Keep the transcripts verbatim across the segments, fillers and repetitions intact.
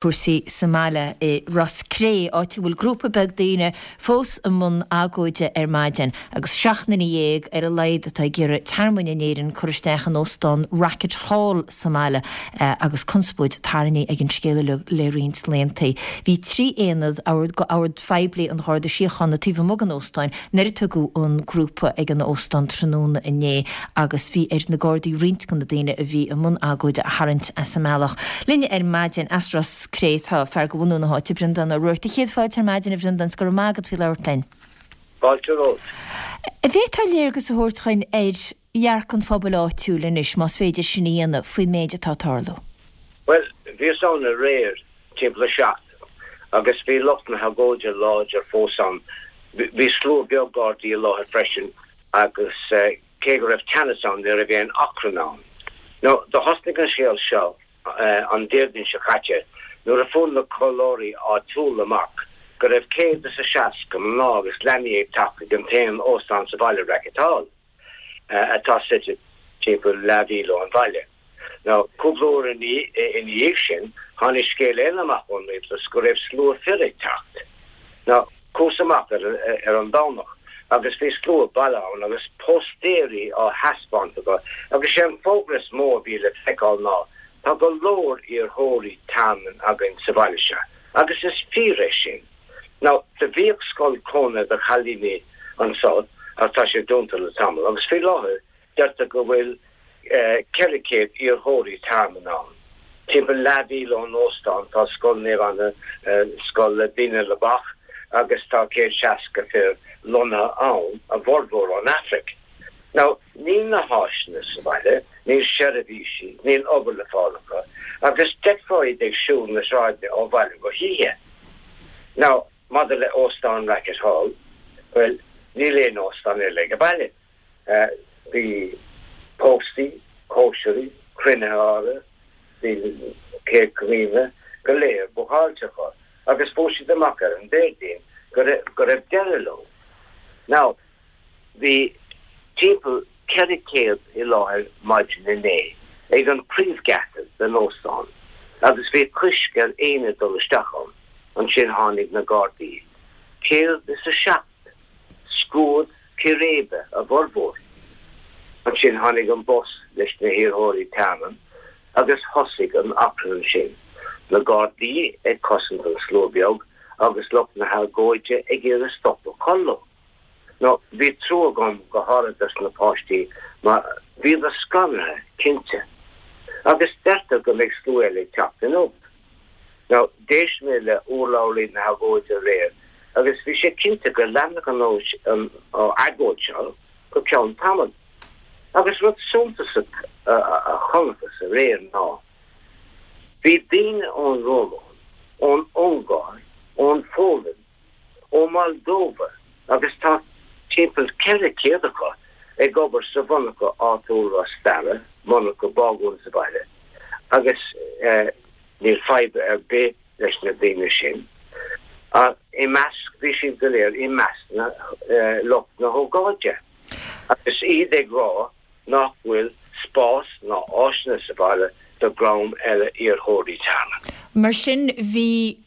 Cúrsaí sa mbaile i Ros Cré, áit a bhfuil grúpa beag daoine fós i mbun agóide ar maidin agus seacht nduine dhéag ar a laghad atá ag iarraidh tearmainn in Éirinn cur isteach in óstán Rackett Hall sa mbaile agus conspóid tarraingthe ag an scéal uilig le roinnt laethanta. Bhí trí aonad ord phoiblí an Gharda Síochána taobh amuigh den óstán nuair a tugadh an grúpa ag an óstán tráthnóna inné agus bhí ar na Gardaí roinnt de na daoine a bhí i mbun agóide a tharraingt as an mbealach. Linn ar maidin as Ros Cré tá fear de bhunadh na háite, Breandán Ó Ruairc. Céad fáilte ar maidin a Bhreandáin, go raibh maith agat faoi labhairt linn. Fáilte romhat. An bhféadfá léargas a thabhairt dúinn ar dhearcadh an phobail áitiúil anois, más féidir sin a dhéanamh, faoin méid atá ag tarlú. Bhuel, bhíos ann aréir timpeall a seacht agus bhí lucht na hagóide láidir fós ann. Bhí slua beag Gardaí i láthair freisin agus cé go raibh teannas ann ní raibh aon achrann ann. Now, do thosnaigh an scéal seo an Déardaoin seo caite nuair a fuair na comhairleoirí áitiúla amach go raibh céad is a seasca mná agus leanaí ag teacht chuig an t-aon óstán sa bhaile Rackett Hall, atá suite timpeall leathmhíle ón bhaile. Now, cúpla uair ina dhiaidh sin, tháinig scéal eile amach ón rialtas go raibh slua fir ag teacht. Now, chuas amach ar, ar an Domhnach agus bhí slua bailithe ann agus póstaeirí á thaispeáint acu agus sé an fógra is mó a bhí le feiceáil ná Tá go leor iarrthóirí tearmainn againn sa bhaile seo, agus is fíor é sin. Now, do bhíodh scoil cónaithe do chailíní anso, ach tá sé dúnta le tamall, agus faoi láthair deirtear go bhfuil ceithre chéad iarrthóirí tearmainn ann. Timpeall leathmhíle ón óstán tá Scoil Naomh Anna, scoil le daoine le bac, agus tá céad seasca fir lonnaithe ann, a bhformhór ón Afraic. Now, níl na háiseanna sa bhaile, níl seirbhísí, níl obair le fáil acu, agus d'fheicfeá iad ag siúl na sráideanna ó bhaile go hoíche. Now, maidir le Óstán Rackett Hall, bhuel, níl aon óstán eile ag an baile. Bhí póstaí, cóisirí, cruinnithe áirithe, bhí Céad Comaoine go léir bookáilte acu, agus fuair siad amach ar an Déardaoin go raibh deireadh leo. Now, Bhí timpeall ceithre chéad i láthair maidin inné ag an príomhgheata den óstán agus bhí coisc ar éinne dul isteach ann. Ansin tháinig na Gardaí. Céad is a seacht scuad círéibe a bhformhór. Ansin tháinig an bus leis na hiarrthóirí tearmainn agus thosaigh an achrann ansin. Na Gardaí ag cosaint an slua beag agus lucht na hagóide ag iarraidh stop a chur leo. Now, bhí trua agam go háirithe dos na páistí mar bhíodar scanraithe, cinnte. Agus deirtear go mbeidh slua eile ag teacht inniu. Now, d'éist mé le urlabhraí na hagóide aréir agus bhí sé cinnte go leanfadh an agóid seo go ceann tamaill. Agus rud suntasach a chonacthas aréir ná bhí daoine ón Rómáin, ón Ungáir, ón Pholainn, ó Moldova agus tá timpeall ceithre chéad acu ag obair sa mhonarcha áitiúil Ros Dara, monarcha bágún sa bhaile, agus níl fadhb ar bith leis na daoine sin. I measc, bhí siad go léir i measc na lucht na hócáide agus iad ag rá nach bhfuil spás ná áiseanna sa bhaile do dhream eile iarrthóirí tearmainn. Mar sin, bhí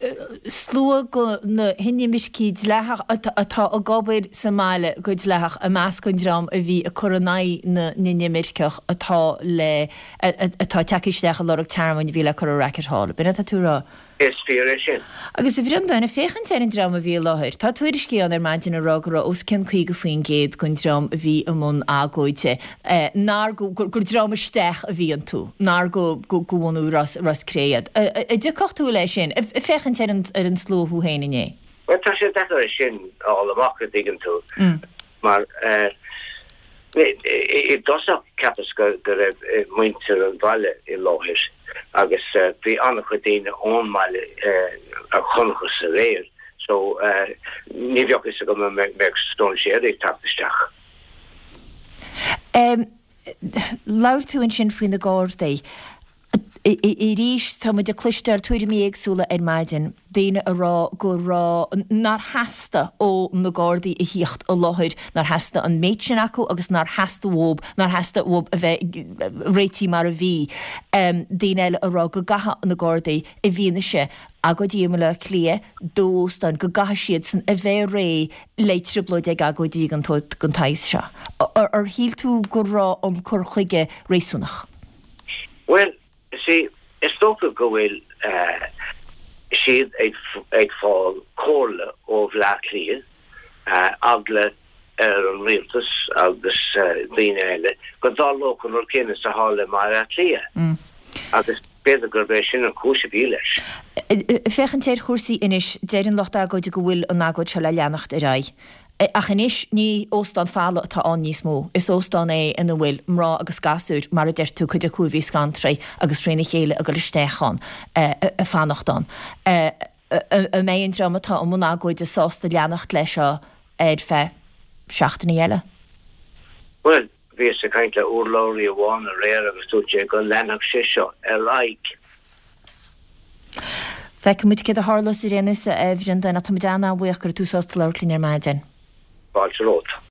slua de na hinimircigh dleathach atá ag obair sa mbaile go dleathach i measc an dream a bhí ag cur in aghaidh na n-inimirceach atá le atá ag teacht isteach ag lorg tearmainn a bhí le cur i Rackett Hall. B'in atá tú a rá? Is fíor é sin. Agus a Bhreandáin, ag féachaint ar an dream a bhí i láthair, tá tuairiscí ann ar maidin ag rá go raibh os cionn caoga faoin gcéad den dream a bhí i mbun agóide, nár, gur dream isteach a bhí iontu, nár go bhunadh Ros, Ros Cré iad. An dtiocfadh tú leis sin, ag féachaint ar an, ar an slua thú féin inné? Bhuel, tá sé deacair é sin a fháil amach, a dtuigeann tú, mar i dtosach cheapas go raibh muintir an bhaile i láthair agus bhí an-chuid daoine ón mbaile a chonacthas aréir so ní bheadh fhios agam an mbeadh stróinséirí ag teacht isteach. Labhair tú ansin faoi na Gardaí. Arís, tá muid ag cloisteáil tuairimí éagsúla ar maidin, daoine a rá go raibh, nár theastaigh ó na Gardaí a thíocht i láthair, nár theastaigh an méid sin acu agus nár theastaigh uathu, nár theastaigh uathu a bheith réitithe mar a bhí. Daoine eile a rá go gcaithfidh na Gardaí, i bhfianaise agóidí i mBaile Átha Cliath, dó óstáin, go gcaithfidh siadsan a bheith réidh le trioblóid ag agóidí den tsaghas seo. Ar shíl tú go raibh an cur chuige réasúnach? Bhuel, see, is dócha go bhfuil siad ag fáil comhairle ó Bhleá Cliath, eagla ar an rialtas agus daoine eile go dtarlódh an rud céanna is a tharla i mBaile Átha Cliath. Agus b'fhéidir gurb é sin an chúis a bhí leis. Féachaint ar chúrsaí anois, deir an lucht agóide go bhfuil an agóid seo le leanacht ar aghaidh. Ach anois ní óstán folamh atá ann níos mó, is óstán é ina bhfuil mná agus gasúir, mar a deir tú, cuid acu a bhí scantraithe agus trína chéile ag dul isteach ann, ag fanacht ann. An mbeidh an dream atá i mbun agóide sásta leanacht leis seo ar feadh seachtainí eile? Bhuel, bhíos ag caint le urlabhraí amháin aréir agus dúirt sé go leanfadh sé seo ar aghaidh. Feicfidh muid céard a tharlós ar aon nós, a Bhreandáin, ach tá muid an-an-bhuíoch go raibh tú sásta labhairt linn ar maidin. Fáilte romhat.